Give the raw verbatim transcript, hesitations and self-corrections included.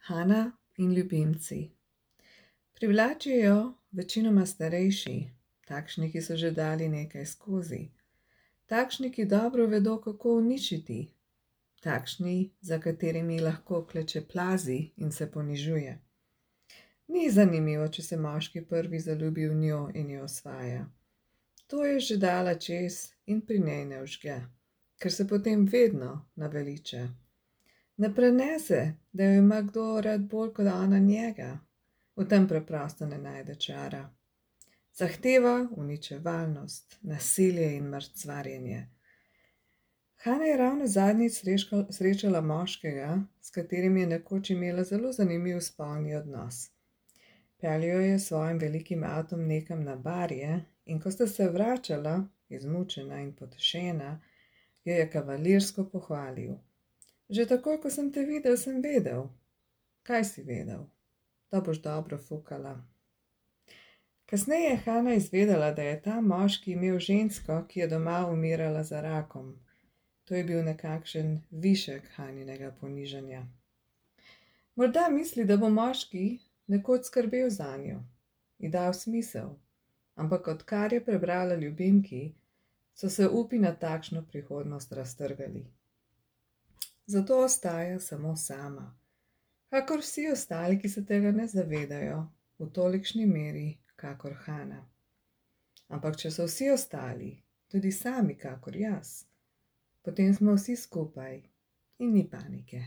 Hana in ljubimci. Privlačijo večinoma starejši, takšni, ki so že dali nekaj skozi, takšni, ki dobro vedo, kako uničiti, takšni, za katerimi lahko kleče plazi in se ponižuje. Ni zanimivo, če se moški prvi zaljubi v njo in jo osvaja. To je že dala čez in pri njej ne vžge, ker se potem vedno naveliča. Ne prenese, da jo ima kdo rad bolj kot ona njega. V tem preprosto ne najde čara. Zahteva uničevalnost, nasilje in mrcvarjenje. Hana je ravno zadnjič srečala moškega, s katerim je nekoč imela zelo zanimiv spolni odnos. Peljal je s svojim velikim avtom nekam na barje in ko sta se vračala, izmučena in potešena, jo je kavalirsko pohvalil. Že takoj, ko sem te videl, sem vedel. Kaj si vedel? Da boš dobro fukala. Kasneje je Hana izvedela, da je ta moški imel žensko, ki je doma umirala za rakom. To je bil nekakšen višek Haninega ponižanja. Morda misli, da bo moški nekoč skrbel zanjo, ji dal smisel, ampak odkar je prebrala ljubimki, so se upi na takšno prihodnost raztrgali. Zato ostaja samo sama, kakor vsi ostali, ki se tega ne zavedajo v tolikšni meri, kakor Hana. Ampak če so vsi ostali, tudi sami kakor jaz, potem smo vsi skupaj in ni panike.